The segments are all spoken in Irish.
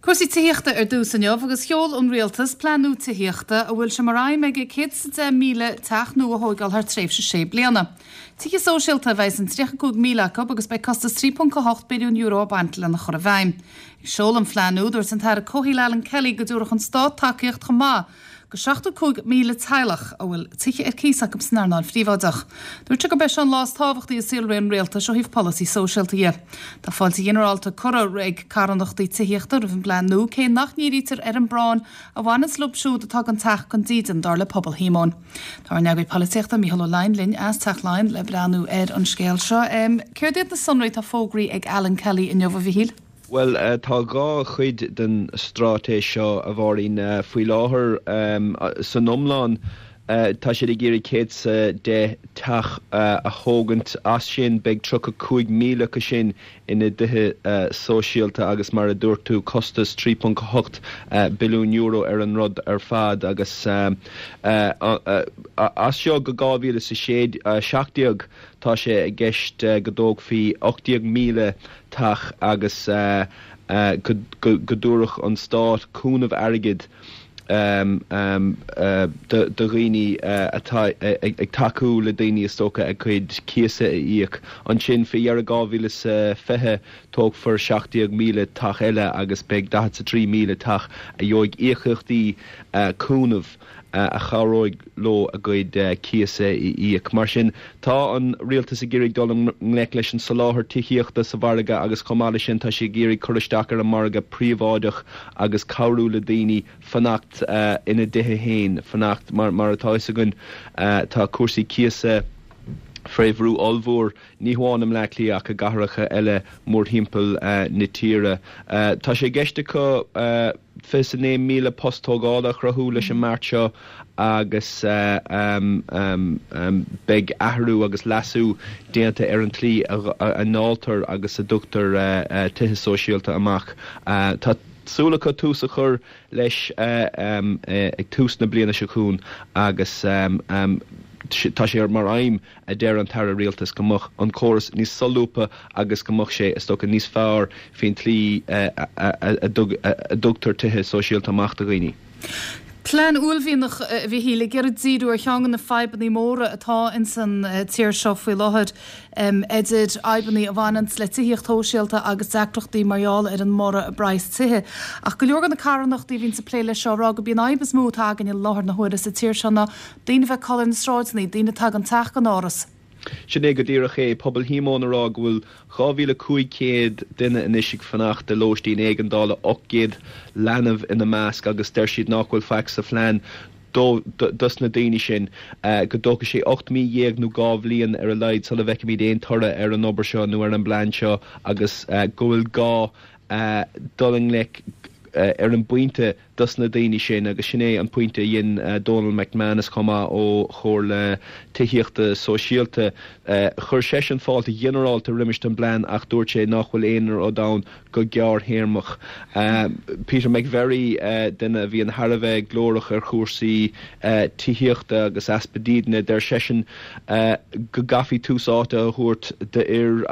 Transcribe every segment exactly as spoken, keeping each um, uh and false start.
Cúrsaí tithíochta ar dtús inniu agus sheol an rialtas plean nua tithíochta a bhfuil sé mar aidhm aige céad is a deich míle teach nua a thógáil thar tréimhse sé bliana. Tithe sóisialta a bheidh in tríocha cúig míle acu agus beidh costas trí ponc a hocht billiún euro ag baint lena chur i bhfeidhm. Ag seoladh an phlean nua, dúirt an tAire Comhshaoil Alan Kelly go dtabharfadh an stát tacaíocht chomh maith go seachtó cúig míle teaghlach a bhfuil tithe ar cíos acu san earnáil phríobháideach. Dúirt sé gurb é seo an lá is tábhachtaí i saolré an rialtais ó thaobh polasaí sóisialta dhe. Tá fáilte ghinearálta curtha ag carthanachtaí tithíochta roimh an bplean nua cé nach ndírítear ar an bpráinn a bhaineanns leo siúd atá gan teach gan dídean dar le Pobal Shíomóin. Tá ár n-eagraí polaitíochta Mícheál Ó Laighin linn as Teach Laighean le breathnú ar an scéal seo. Céard iad na sonraí atá fógraithe ag Alan Kelly inniu a Mhichíl? Bhuel, tá dhá chuid den straitéis seo a Mháirín faoi láthair san iomlán. Tá siad ag iarraidh céad is a deich teach a thógaint as sin beidh tríocha cúig míle acu sin ina dtithe sóisialta agus mar a dúirt tú costas trí ponc a hocht billiún euro ar an rud ar fad agus as seo go dhá mhíle is a sé seacht déag tá sé i gceist go dtógfaí ocht déag míle teach agus go dtabharfadh an stát cúnamh airgid do dhaoine atá ag tacú le daoine is dócha a gcuid cíosa a íoc. Ansin faoi dheireadh dhá mhíle is a fiche tógfar seacht déag míle teach eile agus beidh daichead is a trí míle teach a gheobhaidh íocaíochtaí cúnaimh a chabhróidh leo a gcuid cíosa a íoc. Mar sin, tá an rialtas ag iarraidh dul i ngleic leis an soláthar tithíochta sa mhargadh agus chomh maith leis sin tá sé ag iarraidh cur isteach ar an margadh príobháideach agus cabhrú le daoine fanacht ina dtithe féin, fanacht mar mar atá fhios againn tá cúrsaí cíosa faoi bhrú ollmhór, ní hamháin i mBleá Cliath ach i gcathracha eile mórthimpeall na tíre. Tá sé i gceist acu fiche is a naoi míle post tógála a chruthú leis an mbeart seo agus beidh athrú agus leasú déanta ar an tslí a ndáiltear agus a dtugtar tithe sóisialta amach. Tá súil acu tús a chur leis ag tús na bliana seo chugainn agus tá sé mar aidhm, a deir an tAire Rialtais, go mbeadh an córas níos solúbtha agus go mbeadh sé, is dócha, níos fearr faoin tslí a dtugtar tithe sóisialta amach do dhaoine. Plean uaillmhianach, a Mhichíl, ag iarraidh díriú ar cheann de na fadhbanna móra atá ins an tír seo faoi láthair, idir fhadhbanna a bhaineanns le tithíocht shóisialta agus deacrachtaí mar gheall ar an mborradh i bpraghas tithe. Ach go leor de na carthanachtaí a bhíonns ag plé leis seo ag rá gurb í an fhadhb is mó atá againn i láthair na huaire sa tír seo ná daoine a bheith ag codladh ar na sráideanna, daoine atá gan teach gan áras. Sin é go díreach é, Pobal Shíomóin ag rá go bhfuil dhá mhíle cúig chéad duine anois ag fanacht i lóistín éigeandála, ocht gcéad leanbh ina measc, agus deir siad nach bhfuil faic sa phlean dos na daoine sin, go dtógfaidh sé ocht mí dhéag nó dhá bhliain ar a laghad sula bhfeicfimid aon toradh ar an obair seo nó ar an bplean seo agus go bhfuil gá dul i ngleic ar an bpointe dos na daoine sin agus sin é an pointe a dhein Donal McManus chomh maith ó Chomhairle Tithíochta Sóisialta. Chuir seisean fáilte ghinearálta roimis an bplean ach dúirt sé nach bhfuil aon rud ann go gearrthéarmach. Peter McVerry, duine a bhíonn thar a bheith glórach ar chúrsaí tithíochta agus easpa dídine, deir seisean go gcaithfí tús áite a thabhairt d'fhir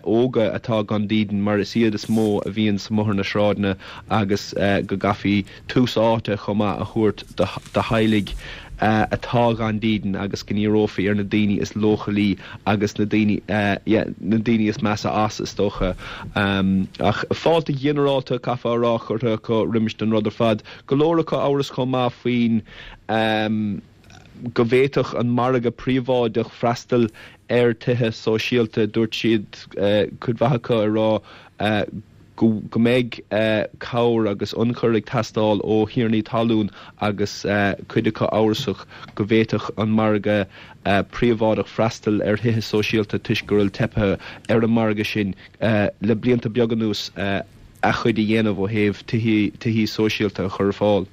óga atá gan dídean mar is iad is mó a bhíonns amuigh ar na sráideanna agus go gcaithfí tús áite chomh maith a thabhairt do theaghlaigh atá gan dídean agus go ndíreofaí ar na daoine is leochailí agus na daoine, yeah, na daoine is measa as, is dócha. Ach fáilte ghinearálta, caithfear a rá, curtha acu roimis don rud ar fad. Go leor acu amhras chomh maith faoin go bhféadfadh an margadh príobháideach freastal ar tithe sóisialta. Dúirt siad, cuid mhaith acu ag rá, go mbeidh cabhair agus ionchur ag teastáil ó thiarnaí talún agus cuid acu amhrasach go bhféadfadh an margadh príobháideach freastal ar thithe sóisialta toisc go bhfuil teipthe ar an margadh sin le blianta beaga anuas a chuid a dhéanamh ó thaobh tithí sóisialta a chur ar fáil.